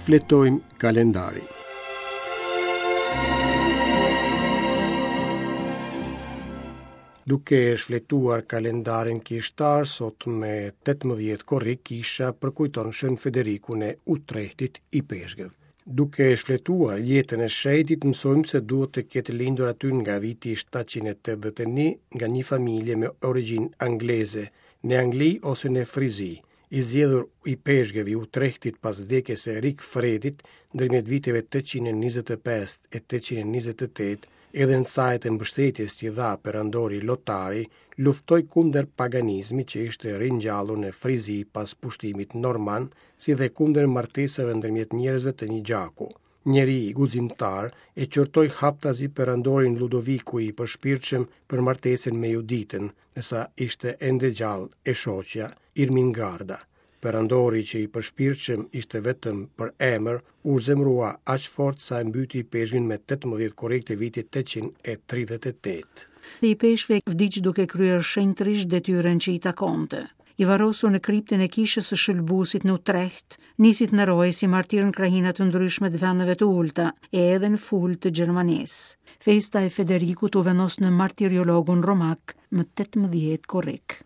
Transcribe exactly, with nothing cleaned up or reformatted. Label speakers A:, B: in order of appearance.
A: Shfletojmë kalendarin. Duke shfletuar kalendarin kishtar, sot me tetëmbëdhjetë korrik kisha përkujton Shën Federikun e Utrehtit, ipeshkëv. Duke shfletuar jetën e shenjtit, mësojmë se duhet të ketë lindur aty nga viti shtatëqind e tetëdhjetë e një nga një familje me origjinë angleze, në Angli ose në Frizi, i zgjedhur ipeshkëv i Utrehtit pas vdekjes së Rikfredit ndërmjet viteve tetëqind e njëzet e pesë e tetëqind e njëzet e tetë, edhe në saje të mbështetjes që dha perandori Lotari, luftoi kundër paganizmit që ishte ringjallur në Frizi pas pushtimit norman, si dhe kundër martesave ndërmjet njerëzve të një gjaku. Njeri guximtar e qortoi haptazi perandorin Ludoviku i përshpirtshëm për martesën me Juditën, ndërsa ishte ende gjallë e shoqja Irmingarda. Perandori që i përshpirtshëm ishte vetëm për emër, u zemrua aq fort sa e mbyti ipeshkvin me tetëmbëdhjetë korrik të vitit tetëqind e tridhjetë e tetë.
B: Ipeshkvi vdiq duke kryer shenjtërisht detyrën që i takonte. I varrosur në kriptën e kishës së Shëlbusit në Utrecht, nisi të nderohej si martir në krahina të ndryshme të vendeve të ulta e edhe në Ful të Gjermanisë. Festa e Federikut u vendos në martiriologun romak më tetëmbëdhjetë korrik.